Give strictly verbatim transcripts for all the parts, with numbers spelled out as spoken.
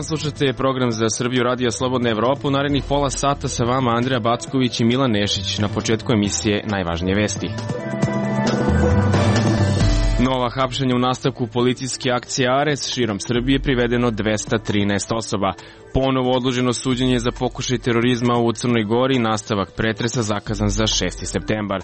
dan, slušate program za Srbiju Radija Slobodna Evropa. U narednih pola sata sa vama Andreja Backović i Milan Nešić. Na početku emisije najvažnije vesti. Nova hapšenja u nastavku policijske akcije Ares, širom Srbije privedeno dvesta trinaest osoba. Ponovo odloženo suđenje za pokušaj terorizma u Crnoj Gori, nastavak pretresa zakazan za šesti septembar.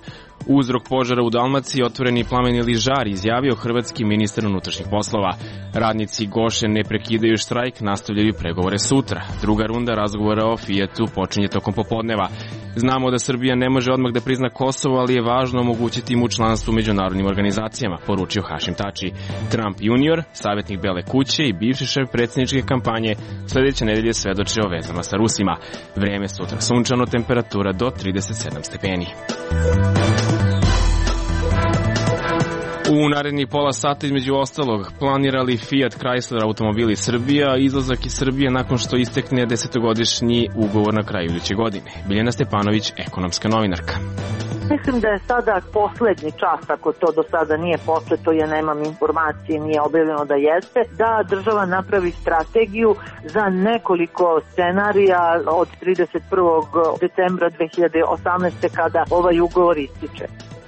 Uzrok požara u Dalmaciji, otvoreni plameni žar, izjavio hrvatski ministar unutrašnjih poslova. Radnici Goše ne prekidaju štrajk, nastavljaju pregovore sutra. Druga runda razgovora o Fijatu počinje tokom popodneva. Znamo da Srbija ne može odmah da prizna Kosovo, ali je važno omogućiti mu članstvo u međunarodnim organizacijama, poručio Hašim Tači. Trump junior, savjetnik Bele kuće i bivši šef predsjedničke kampanje, sledeće nedelje svedoče o vezama sa Rusima. Vreme sutra sunčano, temperatura do trideset sedam stepeni. U narednih pola sata između ostalog planirali Fiat Chrysler automobili Srbija, izlazak iz Srbije nakon što istekne desetogodišnji ugovor na kraju iduće godine. Biljana Stepanović, ekonomska novinarka. Mislim da je sada poslednji čas, ako to do sada nije posleto, ja nemam informacije, nije objavljeno da jeste, da država napravi strategiju za nekoliko scenarija od trideset prvog decembra dve hiljade osamnaeste. kada ovaj ugovor ističe.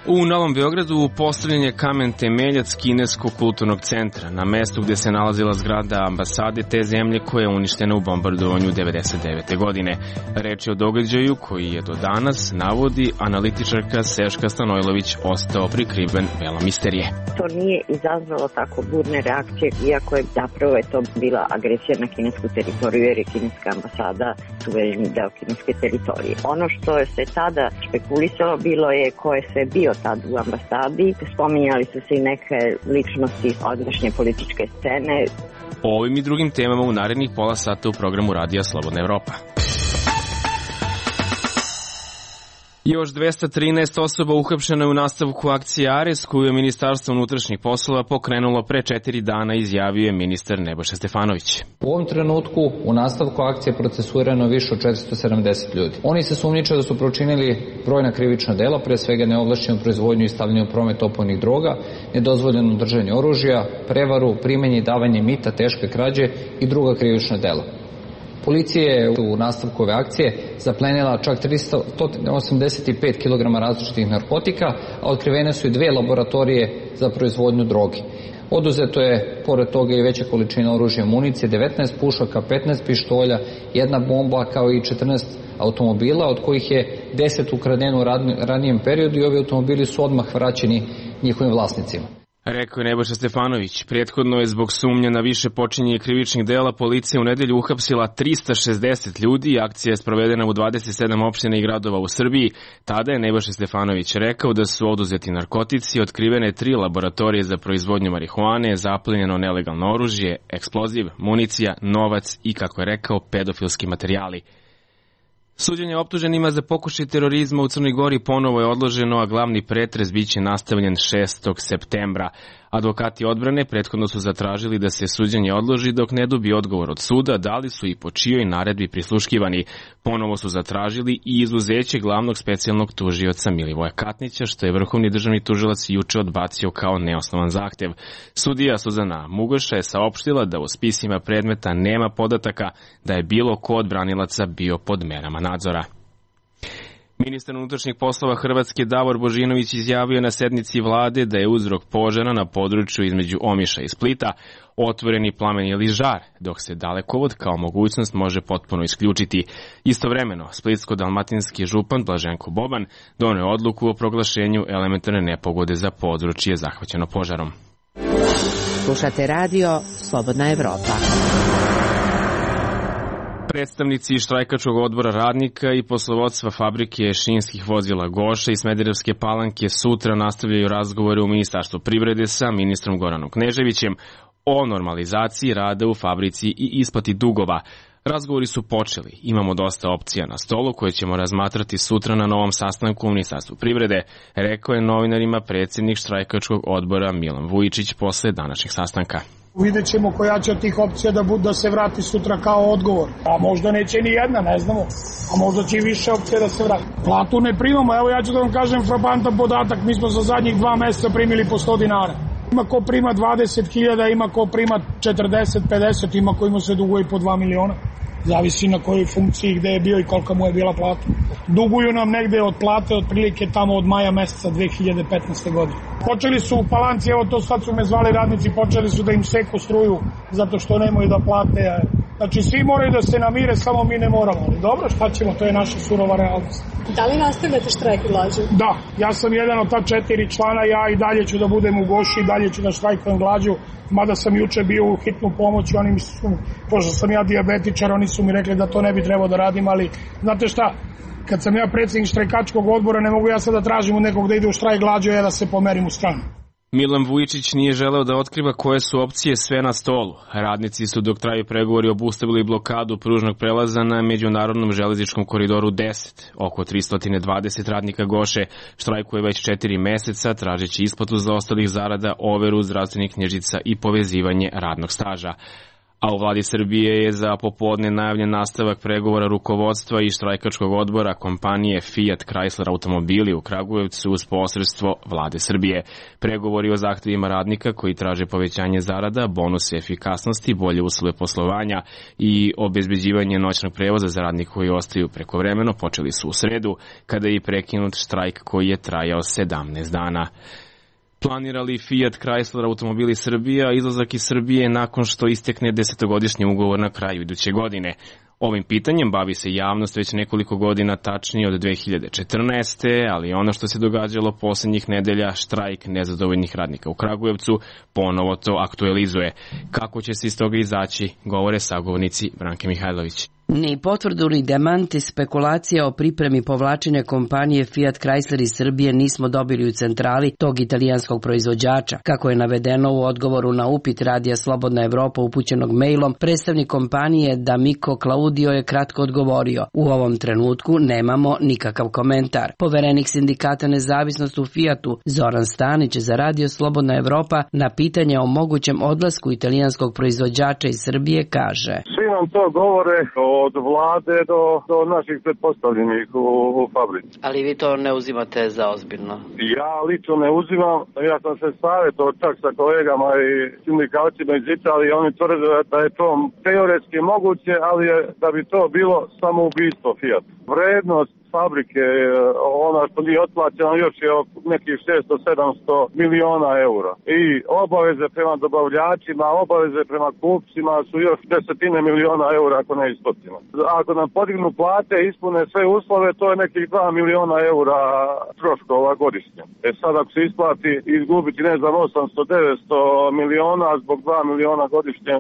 U Novom Beogradu postavljen je kamen temeljac Kineskog kulturnog centra na mestu gde se nalazila zgrada ambasade te zemlje koja je uništena u bombardovanju devedeset devete. godine. Reč je o događaju koji je do danas, navodi analitičarka Seška Stanojlović, ostao prikriven velom misterije. To nije izazvalo tako burne reakcije, iako je zapravo je to bila agresija na kinesku teritoriju, jer je kineska ambasada suvereni deo kineske teritorije. Ono što je se tada špekulisalo bilo je ko je sve bio tad u ambasadi. Spominjali su se i neke ličnosti odnašnje političke scene. O ovim i drugim temama u narednih pola sata u programu Radija Slobodna Evropa. Još dvesta trinaest osoba uhapšeno je u nastavku akcije Ares, koju je Ministarstvo unutrašnjih poslova pokrenulo pre četiri dana, izjavio je ministar Nebojša Stefanović. U ovom trenutku u nastavku akcije procesuirano više od četiristo sedamdeset ljudi. Oni se sumnjiče da su počinili brojna krivična dela, pre svega neovlašćenu proizvodnju i stavljanje u promet opojnih droga, nedozvoljeno držanje oružja, prevaru, primanje i davanje mita, teške krađe i druga krivična dela. Policija je u nastavku ove akcije zaplenila čak tristo osamdeset pet kilograma različitih narkotika, a otkrivene su i dve laboratorije za proizvodnju droge. Oduzeto je, pored toga, i veća količina oružja, municije, devetnaest pušaka, petnaest pištolja, jedna bomba, kao i četrnaest automobila, od kojih je deset ukradeno u ranijem periodu i ovi automobili su odmah vraćeni njihovim vlasnicima. Rekao je Nebojša Stefanović. Prethodno je zbog sumnja na više počinjenje krivičnih dela policija u nedelju uhapsila trista šezdeset ljudi. Akcija je sprovedena u dvadeset sedam opština i gradova u Srbiji. Tada je Nebojša Stefanović rekao da su oduzeti narkotici, otkrivene tri laboratorije za proizvodnju marihuane, zaplenjeno nelegalno oružje, eksploziv, municija, novac i, kako je rekao, pedofilski materijali. Suđenje optuženima za pokušaj terorizma u Crnoj Gori ponovo je odloženo, a glavni pretres biće nastavljen šestog septembra. Advokati odbrane prethodno su zatražili da se suđenje odloži dok ne dobije odgovor od suda, da li su i po čijoj naredbi prisluškivani. Ponovo su zatražili i izuzeće glavnog specijalnog tužioca Milivoja Katnića, što je vrhovni državni tužilac juče odbacio kao neosnovan zahtev. Sudija Suzana Mugoša je saopštila da u spisima predmeta nema podataka da je bilo ko od branilaca bio pod merama nadzora. Ministar unutrašnjih poslova Hrvatske Davor Božinović izjavio na sednici vlade da je uzrok požara na području između Omiša i Splita otvoreni plamen ili žar, dok se dalekovod kao mogućnost može potpuno isključiti. Istovremeno, splitsko-dalmatinski župan Blaženko Boban doneo odluku o proglašenju elementarne nepogode za područje zahvaćeno požarom. Slušate radio Slobodna Evropa. Predstavnici štrajkačkog odbora radnika i poslovodstva fabrike šinskih vozila Goša i Smederevske Palanke sutra nastavljaju razgovore u Ministarstvu privrede sa ministrom Goranom Kneževićem o normalizaciji rada u fabrici i isplati dugova. Razgovori su počeli, imamo dosta opcija na stolu koje ćemo razmatrati sutra na novom sastanku u Ministarstvu privrede, rekao je novinarima predsjednik štrajkačkog odbora Milan Vujičić posle današnjeg sastanka. Vidjet ćemo koja će od tih opcija da, bude, da se vrati sutra kao odgovor. A možda neće ni jedna, ne znamo. A možda će i više opcija da se vrati. Platu ne primamo, evo ja ću da vam kažem frapantan podatak, mi smo za zadnjih dva meseca primili po sto dinara. Ima ko prima dvadeset hiljada, ima ko prima četrdeset, pedeset, ima ko ima se duguje i po dva miliona. Zavisi na kojoj funkciji, gde je bio i kolika mu je bila plata. Duguju nam negde od plate otprilike tamo od maja meseca dve hiljade petnaeste. godine. Počeli su u Palanci, evo to sad su me zvali radnici, počeli su da im seku struju zato što nemaju da plate. Znači svi moraju da se namire, samo mi ne moramo. Ali dobro, šta ćemo, to je naša surova realnost. Da li nastavljate štrajk glađu? Da, ja sam jedan od ta četiri člana, ja i dalje ću da budem u Goši, i dalje ću da štrajkujem glađu, mada sam juče bio u hitnu pomoć i oni mi su, pošto sam ja dijabetičar, oni su mi rekli da to ne bi trebao da radim, ali znate šta, kad sam ja predsjednik štrajkačkog odbora, ne mogu ja sad da tražim od nekog da ide u štrajk glađu, ja da se pomerim u stranu. Milan Vujčić nije želeo da otkriva koje su opcije sve na stolu. Radnici su dok traju pregovori obustavili blokadu pružnog prelaza na međunarodnom železničkom koridoru deset. Oko tristo dvadeset radnika Goše štrajkuje već četiri meseca, tražeći isplatu zaostalih zarada, overu zdravstvenih knjižica i povezivanje radnog staža. A u vladi Srbije je za popodne najavljen nastavak pregovora rukovodstva i štrajkačkog odbora kompanije Fiat Chrysler automobili u Kragujevcu uz posredstvo vlade Srbije. Pregovori o zahtevima radnika koji traže povećanje zarada, bonuse efikasnosti, bolje uslove poslovanja i obezbeđivanje noćnog prevoza za radnike koji ostaju prekovremeno počeli su u sredu, kada je prekinut štrajk koji je trajao sedamnaest dana. Planira li Fiat Chrysler automobili Srbija izlazak iz Srbije nakon što istekne desetogodišnji ugovor na kraju iduće godine? Ovim pitanjem bavi se javnost već nekoliko godina, tačnije od dve hiljade četrnaeste. ali ono što se događalo poslednjih nedelja, štrajk nezadovoljnih radnika u Kragujevcu, ponovo to aktualizuje. Kako će se iz toga izaći, govore sagovornici Branke Mihajlović. Ni potvrdu ni demanti spekulacija o pripremi povlačenja kompanije Fiat Chrysler iz Srbije nismo dobili u centrali tog italijanskog proizvođača. Kako je navedeno u odgovoru na upit Radija Slobodna Evropa upućenog mailom, predstavnik kompanije D'Amico Claudio je kratko odgovorio: u ovom trenutku nemamo nikakav komentar. Poverenik sindikata Nezavisnost u Fiatu Zoran Stanić za Radio Slobodna Evropa na pitanje o mogućem odlasku italijanskog proizvođača iz Srbije kaže: svi nam to govore od vlade do, do naših pretpostavljenih u, u fabrici. Ali vi to ne uzimate za ozbiljno? Ja lično ne uzimam. Ja sam se savjetovao čak sa kolegama i sindikalcima iz Italije. Oni tvrde da je to teoretski moguće, ali je, da bi to bilo samoubistvo Fiat. Vrednost fabrike, ona što nije otplaćena, još je nekih šesto do sedamsto miliona eura. I obaveze prema dobavljačima, obaveze prema kupcima su još desetine miliona eura ako ne isplaćeno. Ako nam podignu plate, ispune sve uslove, to je nekih dva miliona eura troškova godišnje. E sad ako se isplati izgubiti, ne znam, osamsto do devetsto miliona zbog dva miliona godišnje,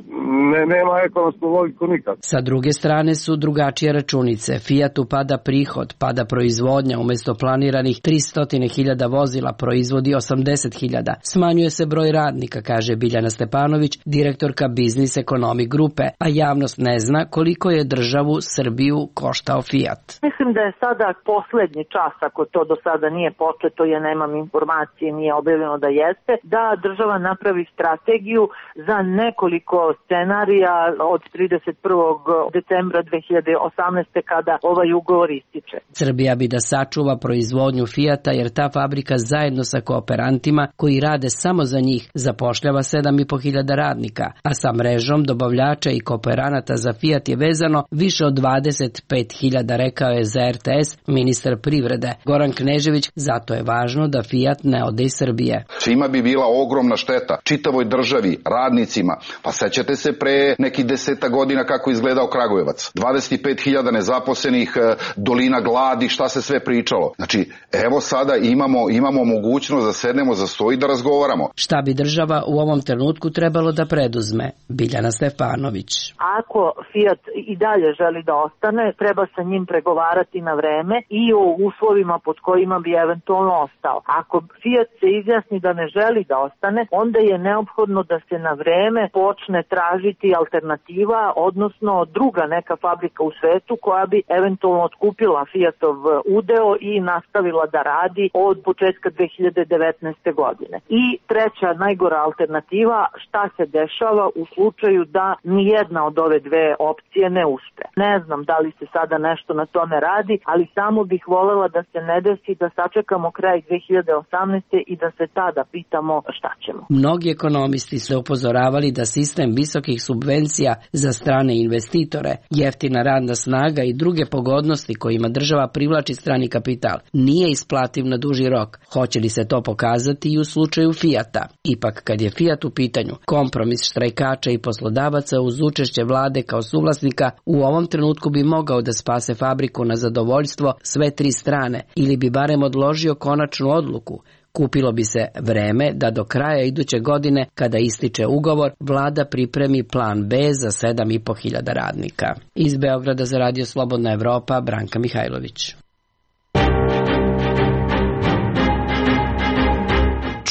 ne, nema ekonomsku logiku nikad. Sa druge strane su drugačije računice. Fiatu pada prihod, pada proizvodnja, umesto planiranih tristo hiljada vozila proizvodi osamdeset hiljada. Smanjuje se broj radnika, kaže Biljana Stepanović, direktorka Biznis Ekonomi grupe, a javnost ne zna koliko je državu Srbiju koštao Fiat. Mislim da je sada poslednji čas, ako to do sada nije početo, ja nemam informacije, nije objavljeno da jeste, da država napravi strategiju za nekoliko scenarija od trideset prvog decembra dve hiljade osamnaeste. kada ovaj ugovor ističe. Srbija bi da sačuva proizvodnju Fijata jer ta fabrika zajedno sa kooperantima koji rade samo za njih zapošljava sedam i po hiljada radnika, a sa mrežom dobavljača i kooperanata za Fijat je vezano više od dvadeset pet hiljada, rekao je za er te es ministar privrede Goran Knežević. Zato je važno da Fijat ne ode iz Srbije. Svima bi bila ogromna šteta, čitavoj državi, radnicima. Pa sećate se pre nekih deseta godina kako izgledao Kragujevac. dvadeset pet hiljada nezaposlenih, dolina gladi, šta se sve pričalo. Znači, evo sada imamo, imamo mogućnost da sednemo za sto i da razgovaramo. Šta bi država u ovom trenutku trebalo da preduzme? Biljana Stefanović. Ako Fiat i dalje želi da ostane, treba sa njim pregovarati na vreme i o uslovima pod kojima bi eventualno ostao. Ako Fiat se izjasni da ne želi da ostane, onda je neophodno da se na vreme počne tražiti alternativa, odnosno druga neka fabrika u svetu koja bi eventualno otkupila Fiat Fiatov udeo i nastavila da radi od početka dve hiljade devetnaeste. godine. I treća, najgora alternativa, šta se dešava u slučaju da nijedna od ove dve opcije ne uspe. Ne znam da li se sada nešto na tome radi, ali samo bih volela da se ne desi da sačekamo kraj dve hiljade osamnaeste. i da se tada pitamo šta ćemo. Mnogi ekonomisti su upozoravali da sistem visokih subvencija za strane investitore, jeftina radna snaga i druge pogodnosti kojima država privlači strani kapital nije isplativ na duži rok. Hoće li se to pokazati i u slučaju Fijata? Ipak, kad je Fijat u pitanju, kompromis štrajkača i poslodavaca uz učešće vlade kao suvlasnika u ovom trenutku bi mogao da spase fabriku na zadovoljstvo sve tri strane ili bi barem odložio konačnu odluku. Kupilo bi se vreme da do kraja iduće godine, kada ističe ugovor, vlada pripremi plan B za sedam i po hiljada radnika. Iz Beograda za Radio Slobodna Evropa, Branka Mihajlović.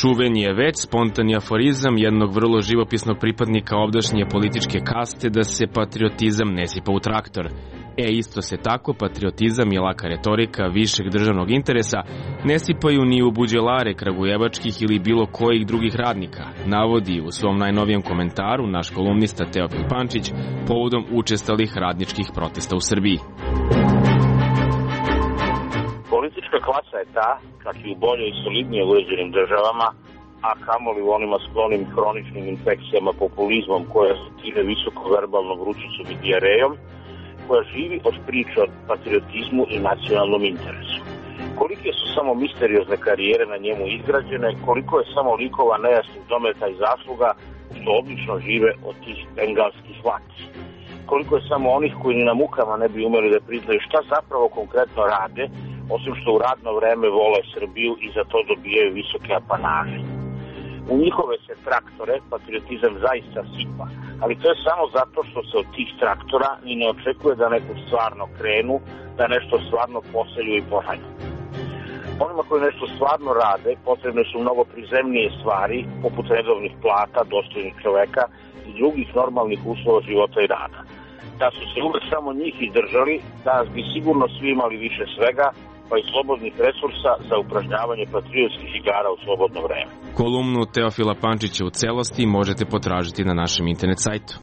Čuveni je već spontani aforizam jednog vrlo živopisnog pripadnika ovdašnje političke kaste da se patriotizam ne sipa u traktor. E isto se tako patriotizam i laka retorika višeg državnog interesa ne sipaju ni u buđelare kragujevačkih ili bilo kojih drugih radnika, navodi u svom najnovijem komentaru naš kolumnista Teofil Pančić povodom učestalih radničkih protesta u Srbiji. Politička klasa je ta, čak i u bolje i solidnije uređenim državama, a kamoli u onima sklonim hroničnim infekcijama populizmom koja se tire visoko verbalnom vrućicom i dijarejom, koja živi od priče o patriotizmu i nacionalnom interesu. Kolike su samo misteriozne karijere na njemu izgrađene, koliko je samo likova nejasnih dometa i zasluga što obično žive od tih bengalskih vlasti. Koliko je samo onih koji ni na mukama ne bi umeli da priznaju šta zapravo konkretno rade, osim što u radno vreme vole Srbiju i za to dobijaju visoke apanaže. U njihove se traktore patriotizam zaista sipa, ali to je samo zato što se od tih traktora ni ne očekuje da neku stvarno krenu, da nešto stvarno poselju i pošalju. Onima koji nešto stvarno rade potrebne su mnogo prizemnije stvari, poput redovnih plata, dostojnih čoveka i drugih normalnih uslova života i rada. Da su se uvek samo njih izdržali, danas bi sigurno svi imali više svega, pa i slobodnih resursa za upražnjavanje patriotskih igara u slobodno vreme. Kolumnu Teofila Pančića u celosti možete potražiti na našem internet sajtu.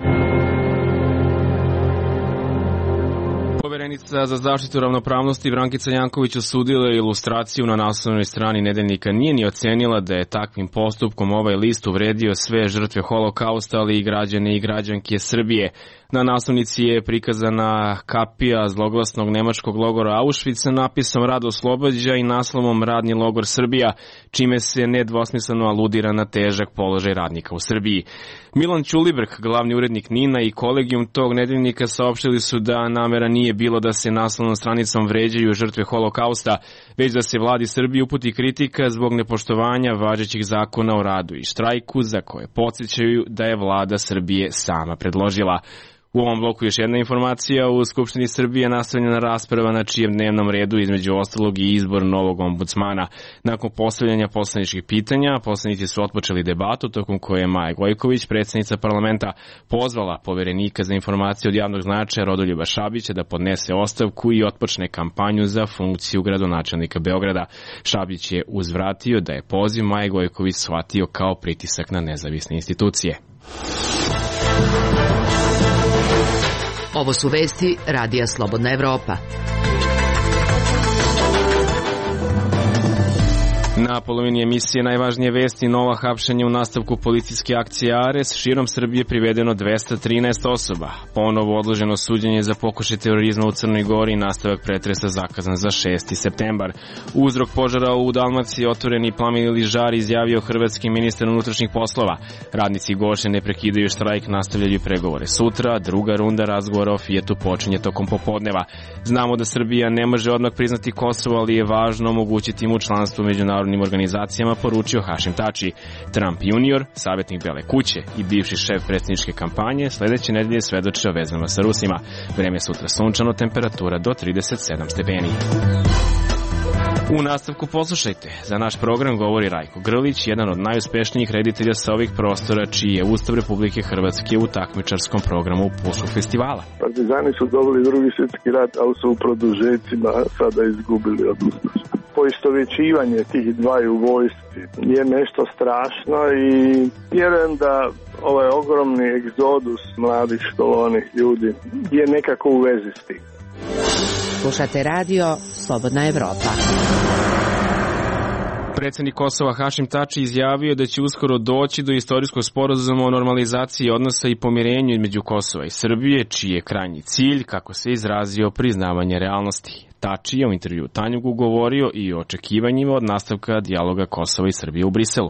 Poverenica za zaštitu ravnopravnosti Brankica Janković osudila je ilustraciju na naslovnoj strani Nedeljnika. Nije ni ocenila da je takvim postupkom ovaj list uvredio sve žrtve holokausta, ali i građane i građanke Srbije. Na naslovnici je prikazana kapija zloglasnog nemačkog logora Auschwitz sa napisom Rad oslobađa i naslovom Radni logor Srbija, čime se nedvosmisleno aludira na težak položaj radnika u Srbiji. Milan Ćulibrk, glavni urednik NIN-a i kolegijum tog nedeljnika saopštili su da namera nije bilo da se naslovnom stranicom vređaju žrtve holokausta, već da se vladi Srbije uputi kritika zbog nepoštovanja važećih zakona o radu i štrajku, za koje podsjećaju da je vlada Srbije sama predložila. U ovom bloku još jedna informacija. U Skupštini Srbije nastavljena rasprava na čijem dnevnom redu između ostalog i izbor novog ombudsmana. Nakon postavljanja poslaničkih pitanja, poslanici su otpočeli debatu tokom koje je Maja Gojković, predsjednica parlamenta, pozvala poverenika za informacije od javnog značaja Rodoljuba Šabića da podnese ostavku i otpočne kampanju za funkciju gradonačelnika Beograda. Šabić je uzvratio da je poziv Maje Gojković shvatio kao pritisak na nezavisne institucije. Ovo su vesti Radija Slobodna Evropa. Na polovini emisije najvažnije vesti: nova hapšenja u nastavku policijske akcije Ares, širom Srbije privedeno dvesta trinaest osoba, ponovo odloženo suđenje za pokušaj terorizma u Crnoj Gori, nastavak pretresa zakazan za šesti septembar. Uzrok požara u Dalmaciji, otvoreni plamen ili žar, izjavio hrvatski ministar unutrašnjih poslova. Radnici Goše ne prekidaju štrajk, nastavljaju pregovore sutra, druga runda razgovora o Fijatu počinje tokom popodneva. Znamo da Srbija ne može odmah priznati Kosovo, ali je važno omogućiti mu članstvo u međunarodnim organizacijama, poručio Hašim Tači. Trump junior, savjetnik Bele kuće i bivši šef predsjedničke kampanje, sledeće nedelje svedoče o vezama sa Rusima. Vreme sutra sunčano, temperatura do trideset sedam stepeni. U nastavku poslušajte. Za naš program govori Rajko Grlić, jedan od najuspešnijih reditelja sa ovih prostora, čiji je Ustav Republike Hrvatske u takmičarskom programu Pulskog festivala. Partizani su dobili drugi svjetski rat, ali su u produžecima sada izgubili od ustaša. Poistovjećivanje tih dvaju vojski je nešto strašno i vjerujem da ovaj ogromni egzodus mladih školovanih ljudi je nekako u vezi s tim. Slušate radio Slobodna Evropa. Predsjednik Kosova Hašim Tači izjavio da će uskoro doći do istorijskog sporazuma o normalizaciji odnosa i pomirenju između Kosova i Srbije, čiji je krajnji cilj, kako se izrazio, priznavanje realnosti. Tači je u intervju Tanjugu govorio i o očekivanjima od nastavka dijaloga Kosova i Srbije u Briselu.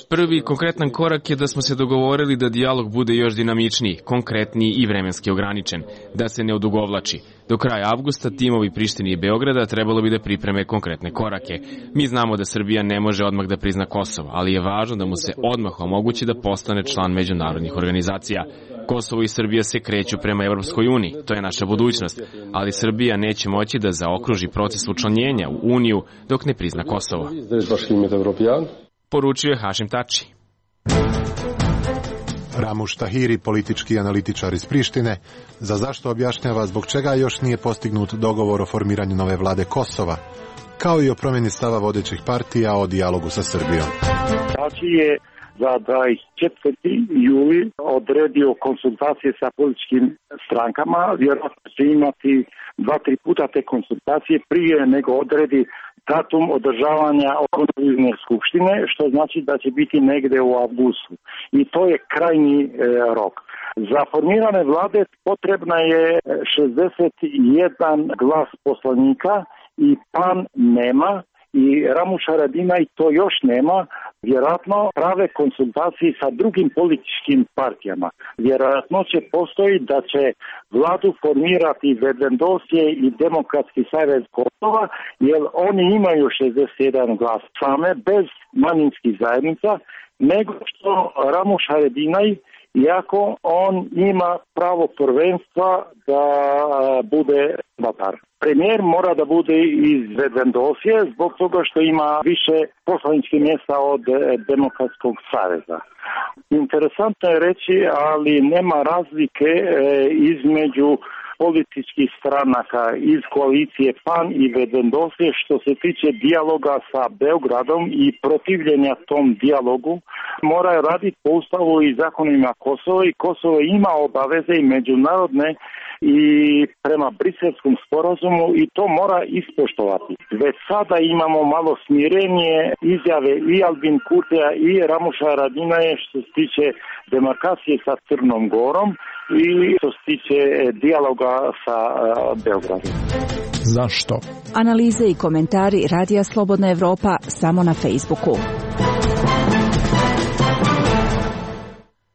Prvi konkretan korak je da smo se dogovorili da dijalog bude još dinamičniji, konkretniji i vremenski ograničen, da se ne odugovlači. Do kraja avgusta timovi Prištine i Beograda trebalo bi da pripreme konkretne korake. Mi znamo da Srbija ne može odmah da prizna Kosovo, ali je važno da mu se odmah omogući da postane član međunarodnih organizacija. Kosovo i Srbija se kreću prema Evropskoj uniji, to je naša budućnost, ali Srbija neće moći da zaokruži proces učlanjenja u Uniju dok ne prizna Kosovo. Poručio je Hašim Tači. Ramuš Tahiri, politički analitičar iz Prištine, za zašto objašnjava zbog čega još nije postignut dogovor o formiranju nove vlade Kosova, kao i o promjeni stava vodećih partija o dijalogu sa Srbijom. Tači je za dvadeset četvrti juli odredio konsultacije sa političkim strankama, vjerojatno će imati dva, tri puta te konsultacije prije nego odredi datum održavanja konstitutivne skupštine, što znači da će biti negdje u avgustu. I to je krajnji e, rok. Za formirane vlade potrebna je šezdeset jedan glas poslanika i PAN nema i Ramuš Haradinaj to još nema. Vjerojatno prave konsultacije sa drugim političkim partijama. Vjerojatno će postoji da će vladu formirati Vedendosje i Demokratski savez Kosova, jer oni imaju šezdeset jedan glas same, bez manjinskih zajednica, nego što Ramuš Haradinaj, iako on ima pravo prvenstva da bude mandatar. Premijer mora da bude iz Vedendosje zbog toga što ima više poslaničkih mjesta od Demokratskog saveza. Interesantno je reći, ali nema razlike između političkih stranaka iz koalicije PAN i Vedendosje što se tiče dijaloga sa Beogradom i protivljenja tom dijalogu. Moraju raditi po ustavu i zakonima Kosova i Kosovo ima obaveze i međunarodne i prema Briselskom sporazumu i to mora ispoštovati. Već sada imamo malo smirenje izjave i Albin Kurtija i Ramuša Haradinaja što se tiče demarkacije sa Crnom Gorom i što se tiče dijaloga sa Beogradom. Zašto? Analize i komentari Radija Slobodna Evropa samo na Facebooku.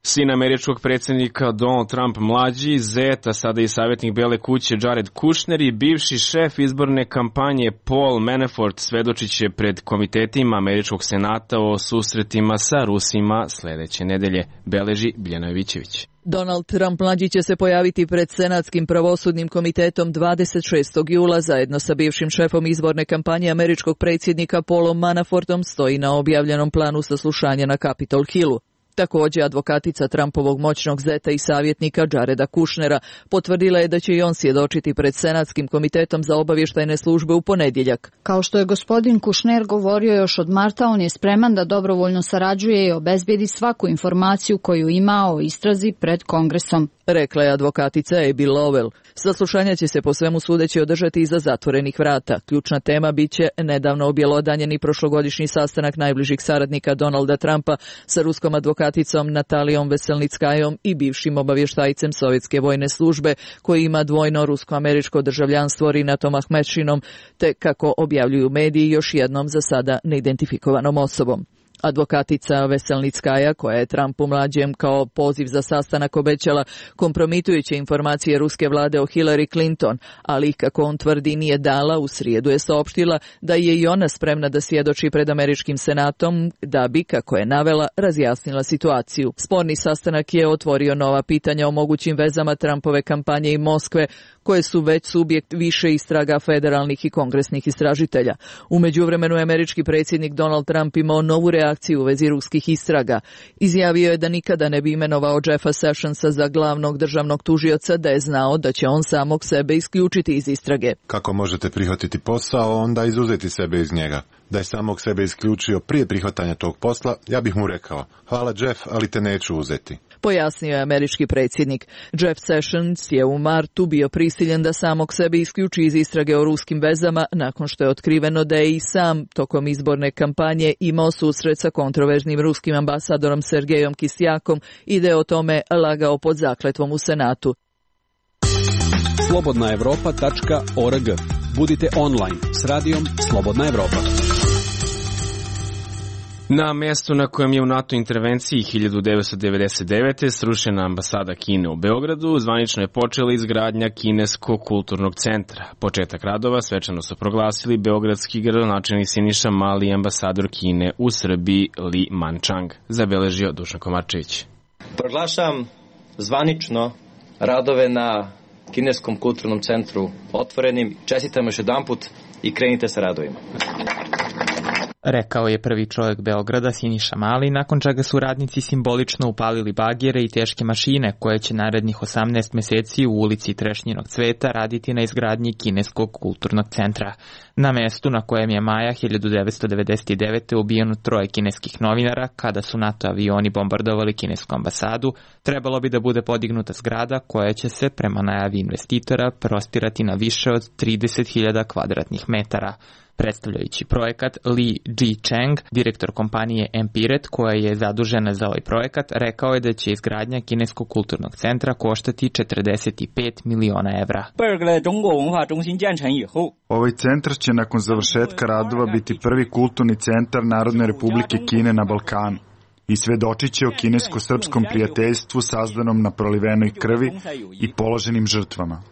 Sin američkog predsjednika Donald Trump mlađi, zeta, sada i savjetnik Bele kuće Jared Kushner i bivši šef izborne kampanje Paul Manafort svedočit će pred komitetima američkog senata o susretima sa Rusima sljedeće nedelje, beleži Biljana Jovićević. Donald Trump mlađi će se pojaviti pred Senatskim pravosudnim komitetom dvadeset šestog jula zajedno sa bivšim šefom izborne kampanje američkog predsjednika Paulom Manafortom, stoji na objavljenom planu saslušanja na Capitol Hillu. Također, advokatica Trumpovog moćnog zeta i savjetnika Jareda Kushnera potvrdila je da će i on svjedočiti pred Senatskim komitetom za obavještajne službe u ponedjeljak. Kao što je gospodin Kushner govorio još od marta, on je spreman da dobrovoljno sarađuje i obezbijedi svaku informaciju koju ima o istrazi pred Kongresom, rekla je advokatica Abby Lowell. Saslušanja će se po svemu sudeći održati iza zatvorenih vrata. Ključna tema bit će nedavno objelodanjeni prošlogodišnji sastanak najbližih saradnika Donalda Trumpa sa ruskom advokaticom Natalijom Veselnickajom i bivšim obavještajcem Sovjetske vojne službe koji ima dvojno rusko-američko državljanstvo Rinatom Ahmedšinom, te kako objavljuju mediji još jednom za sada neidentifikovanom osobom. Advokatica Veselnickaja, koja je Trumpu mlađem kao poziv za sastanak obećala kompromitujuće informacije ruske vlade o Hillary Clinton, ali kako on tvrdi nije dala, u srijedu je saopštila da je i ona spremna da svjedoči pred američkim senatom da bi, kako je navela, razjasnila situaciju. Sporni sastanak je otvorio nova pitanja o mogućim vezama Trumpove kampanje i Moskve, koje su već subjekt više istraga federalnih i kongresnih istražitelja. U međuvremenu je američki predsjednik Donald Trump imao novu reakciju u vezi ruskih istraga. Izjavio je da nikada ne bi imenovao Jeffa Sessionsa za glavnog državnog tužioca da je znao da će on samog sebe isključiti iz istrage. Kako možete prihvatiti posao, onda izuzeti sebe iz njega? Da je samog sebe isključio prije prihvatanja tog posla, ja bih mu rekao, hvala Jeff, ali te neću uzeti. Pojasnio je američki predsjednik. Jeff Sessions je u martu bio prisiljen da samog sebe isključi iz istrage o ruskim vezama nakon što je otkriveno da je i sam tokom izborne kampanje imao susret sa kontroverznim ruskim ambasadorom Sergejom Kisjakom i da je o tome lagao pod zakletvom u Senatu. slobodna evropa tačka org. Budite online s radijom Slobodna Evropa. Na mjestu na kojem je u NATO intervenciji hiljadu devetsto devedeset devete srušena ambasada Kine u Beogradu, zvanično je počela izgradnja Kineskog kulturnog centra. Početak radova svečano su proglasili beogradski gradonačelnik Siniša Mali i ambasador Kine u Srbiji Li Manchang, zabeležio Dušan Komarčević. Proglašam zvanično radove na Kineskom kulturnom centru otvorenim. Čestitam još jedanput i krenite sa radovima. Rekao je prvi čovjek Beograda Siniša Mali, nakon čega su radnici simbolično upalili bagere i teške mašine koje će narednih osamnaest mjeseci u ulici Trešnjinog cveta raditi na izgradnji Kineskog kulturnog centra. Na mjestu na kojem je maja hiljadu devetsto devedeset devete ubijeno troje kineskih novinara kada su NATO avioni bombardovali kinesku ambasadu, trebalo bi da bude podignuta zgrada koja će se, prema najavi investitora, prostirati na više od trideset hiljada kvadratnih metara. Predstavljajući projekat, Li Ji-cheng, direktor kompanije Empiret, koja je zadužena za ovaj projekat, rekao je da će izgradnja Kineskog kulturnog centra koštati četrdeset pet miliona evra. Ovaj centar će nakon završetka radova biti prvi kulturni centar Narodne republike Kine na Balkanu i svedočit će o kinesko-srpskom prijateljstvu sazdanom na prolivenoj krvi i položenim žrtvama.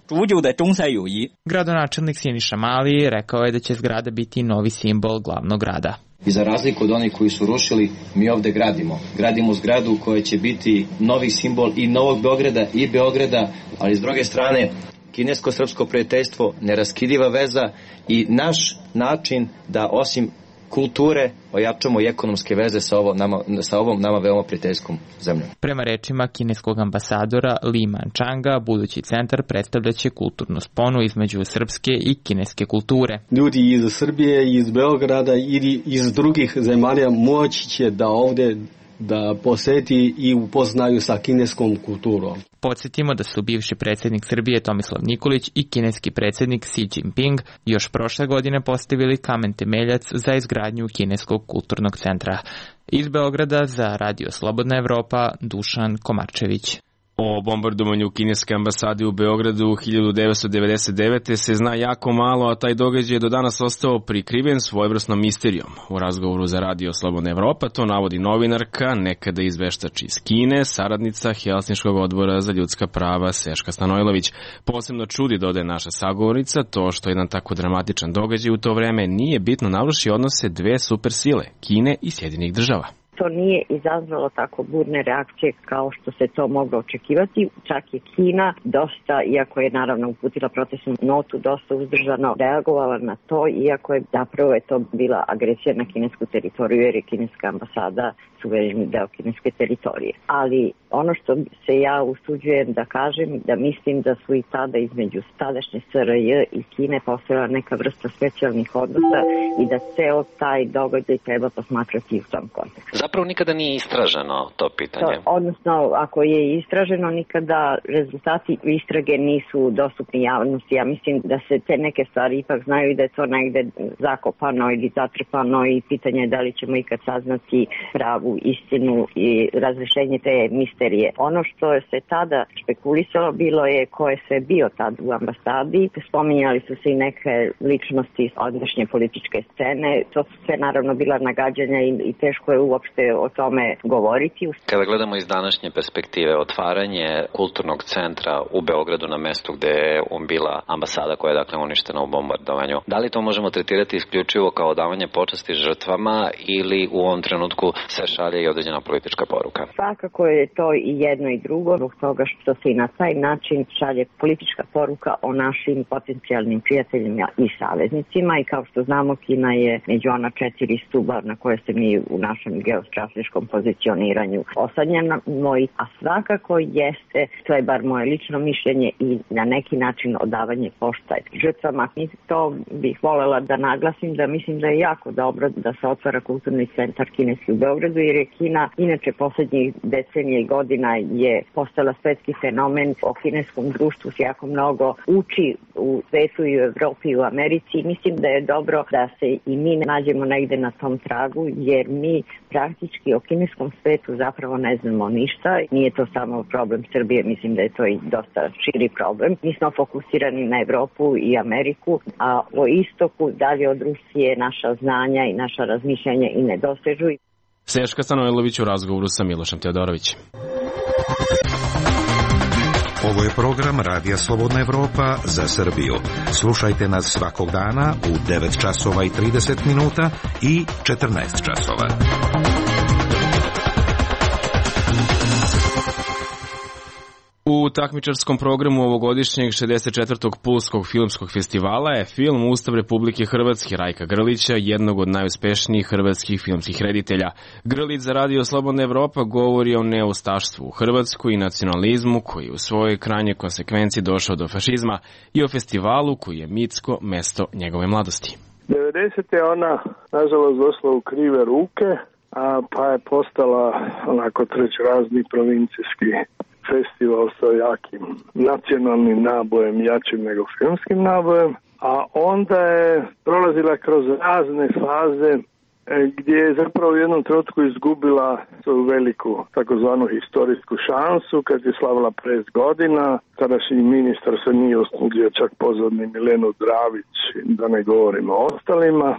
Gradonačelnik Siniša Mali rekao je da će zgrada biti novi simbol glavnog grada. I za razliku od onih koji su rušili, mi ovdje gradimo. Gradimo zgradu koja će biti novi simbol i Novog Beograda i Beograda, ali s druge strane kinesko-srpsko prijateljstvo, neraskidiva veza i naš način da osim kulture ojačamo i ekonomske veze sa, ovo nama, sa ovom nama veoma prijateljskom zemljom. Prema rečima kineskog ambasadora Li Manchanga, budući centar predstavljaće kulturnu sponu između srpske i kineske kulture. Ljudi iz Srbije, iz Beograda ili iz drugih zemalja moći će da ovdje da poseti i upoznaju sa kineskom kulturom. Podsjetimo da su bivši predsjednik Srbije Tomislav Nikolić i kineski predsjednik Xi Jinping još prošle godine postavili kamen temeljac za izgradnju Kineskog kulturnog centra. Iz Beograda za Radio Slobodna Evropa, Dušan Komarčević. O bombardovanju kineske ambasade u Beogradu hiljadu devetsto devedeset devete se zna jako malo, a taj događaj je do danas ostao prikriven svojevrsnom misterijom. U razgovoru za Radio Slobodna Evropa to navodi novinarka, nekada izveštač iz Kine, saradnica Helsinškog odbora za ljudska prava Seška Stanojlović. Posebno čudi, dodaje naša sagovornica, to što jedan tako dramatičan događaj u to vreme nije bitno naruši odnose dve supersile, Kine i Sjedinjenih Država. To nije izazvalo tako burne reakcije kao što se to moglo očekivati. Čak je Kina dosta, iako je naravno uputila protestnu notu, dosta uzdržano reagovala na to, iako je zapravo je to bila agresija na kinesku teritoriju, jer je kineska ambasada suvereni deo kineske teritorije. Ali ono što se ja usuđujem da kažem, da mislim da su i tada između tadašnje S R J i Kine postojala neka vrsta specijalnih odnosa i da ceo taj događaj treba posmatrati u tom kontekstu. Zapravo nikada nije istraženo to pitanje. To, odnosno, ako je istraženo, nikada rezultati istrage nisu dostupni javnosti. Ja mislim da se te neke stvari ipak znaju i da je to negde zakopano ili zatrpano i pitanje je da li ćemo ikad saznati pravu istinu i razrešenje te misterije. Ono što se tada špekulisalo bilo je ko je sve bio tad u ambasadi. Spominjali su se i neke ličnosti iz ondašnje političke scene. To su sve naravno bila nagađanja i, i teško je uopšte o tome govoriti. Kada gledamo iz današnje perspektive, otvaranje kulturnog centra u Beogradu na mestu gde je bila ambasada koja je dakle uništena u bombardovanju, da li to možemo tretirati isključivo kao davanje počasti žrtvama ili u ovom trenutku se šalje i određena politička poruka? Svakako je to i jedno i drugo, zbog toga što se i na taj način šalje politička poruka o našim potencijalnim prijateljima i saveznicima i kao što znamo Kina je među ona četiri stuba na koje se mi u našem geostrateškom pozicioniranju osadnjamo, a svakako jeste, to je bar moje lično mišljenje i na neki način odavanje poštaj žrtvama. I to bih voljela da naglasim da mislim da je jako dobro da se otvara kulturni centar kineski u Beogradu, jer je Kina inače poslednjih decenija i godina je postala svetski fenomen. O kineskom društvu se jako mnogo uči u svetu i u Evropi i u Americi. Mislim da je dobro da se i mi nađemo negde na tom tragu, jer mi praktički o kineskom svetu zapravo ne znamo ništa. Nije to samo problem Srbije, mislim da je to i dosta širi problem. Mi smo fokusirani na Evropu i Ameriku, a o istoku dalje od Rusije naša znanja i naša razmišljanja i ne dosežu. Seška Stanojlović u razgovoru sa Milošem Teodorovićem. Ovo je program Radija Slobodna Evropa za Srbiju. Slušajte nas svakog dana u devet časova i trideset minuta i četrnaest časova. U takmičarskom programu ovogodišnjeg šezdeset četvrtog Pulskog filmskog festivala je film Ustav Republike Hrvatske Rajka Grlića, jednog od najuspešnijih hrvatskih filmskih reditelja. Grlić za Radio Slobodna Evropa govori o neustaštvu u Hrvatskoj i nacionalizmu koji u svojoj krajnjoj konsekvenciji došao do fašizma i o festivalu koji je mitsko mesto njegove mladosti. devedesete je ona nažalost došla u krive ruke, a pa je postala onako trećerazni provincijski festival sa jakim nacionalnim nabojem, jačim nego filmskim nabojem, a onda je prolazila kroz razne faze gdje je zapravo u jednom trenutku izgubila svoju veliku takozvanu historijsku šansu kad je slavila pet godina. Tadašnji ministar se nije usudio čak pozvati ni Milenu Dravić, da ne govorimo o ostalima,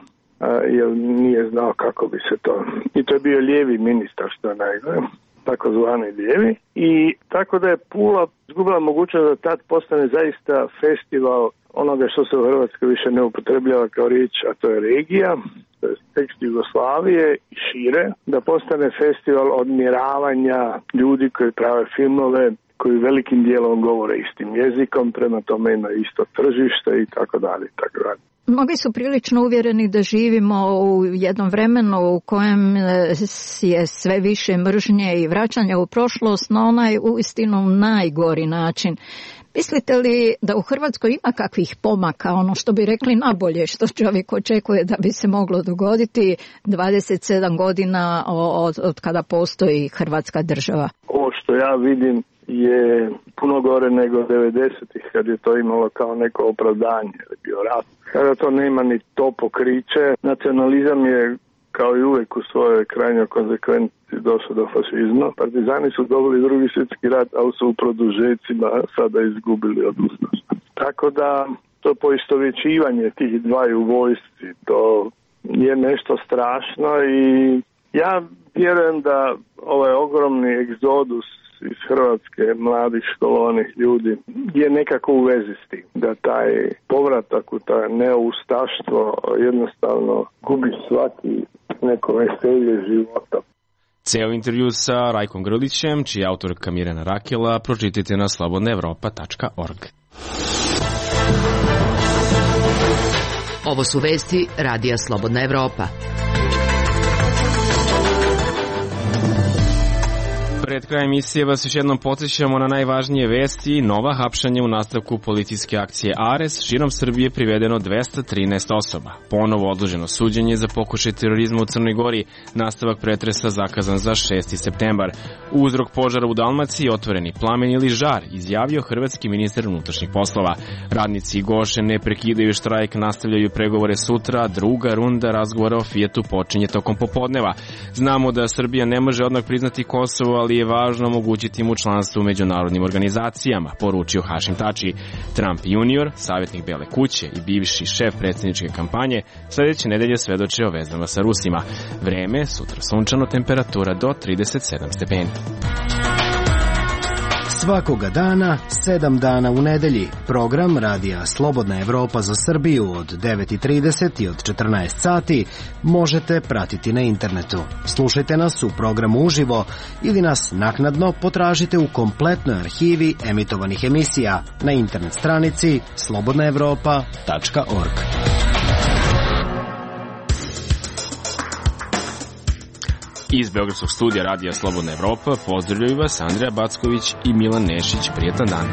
jer nije znao kako bi se to... I to je bio lijevi ministar, što je najgore, takozvani lijevi. I tako da je Pula izgubila mogućnost da tad postane zaista festival onoga što se u Hrvatskoj više ne upotrebljava kao riječ, a to je regija, to je tekst Jugoslavije i šire, da postane festival odmjeravanja ljudi koji prave filmove, koji velikim dijelom govore istim jezikom, prema tome ima isto tržište i tako dalje i tako dalje. Mnogi su prilično uvjereni da živimo u jednom vremenu u kojem je sve više mržnje i vraćanja u prošlost na onaj uistinu najgori način. Mislite li da u Hrvatskoj ima kakvih pomaka, ono što bi rekli nabolje, što čovjek očekuje da bi se moglo dogoditi dvadeset sedam godina od, od kada postoji Hrvatska država? Ovo što ja vidim je puno gore nego devedesetih kad je to imalo kao neko opravdanje, jer je bio rat. Kada to nema ni to pokriće, nacionalizam je kao i uvijek u svojoj krajnjoj konsekvenciji došao do fašizma. Partizani su dobili drugi svjetski rat, ali su u produžecima sada izgubili od ustaša. Tako da to poistovjećivanje tih dvaju vojsci, to je nešto strašno i ja vjerujem da ovaj ogromni egzodus iz Hrvatske, mladih školovanih ljudi, je nekako u vezi s tim. Da taj povratak u taj neustaštvo jednostavno gubi svaki neko veselje života. Ceo intervju sa Rajkom Grlićem, čiji je autorka Mirjana Rakela, pročitajte na slobodna evropa tačka org. Ovo su vesti Radija Slobodna Evropa. Pre Pred krajem emisije vas još jednom podsjećamo na najvažnije vesti. Nova hapšanja u nastavku policijske akcije Ares. Širom Srbije privedeno dvesta trinaest osoba. Ponovo odloženo suđenje za pokušaj terorizma u Crnoj Gori. Nastavak pretresa zakazan za šesti septembar. Uzrok požara u Dalmaciji, otvoreni plamen ili žar, izjavio hrvatski ministar unutrašnjih poslova. Radnici Goše ne prekidaju štrajk, nastavljaju pregovore sutra. Druga runda razgovora o Fijatu počinje tokom popodneva. Znamo da Srbija ne može odmah priznati Kosovo, ali je važno omogućiti mu članstvo u međunarodnim organizacijama, poručio Hašim Tači. Trump junior, savjetnik Bele kuće i bivši šef predsjedničke kampanje, sledeće nedelje svedoče o vezama sa Rusima. Vreme, sutra sunčano, temperatura do trideset sedam stepeni. Svakoga dana, sedam dana u nedelji. Program Radija Slobodna Evropa za Srbiju od devet i trideset i od četrnaest sati možete pratiti na internetu. Slušajte nas u programu uživo ili nas naknadno potražite u kompletnoj arhivi emitovanih emisija na internet stranici slobodna evropa tačka org. Iz Beogradskog studija Radija Slobodna Evropa pozdravljaju vas Andreja Backović i Milan Nešić. Prijetan dan.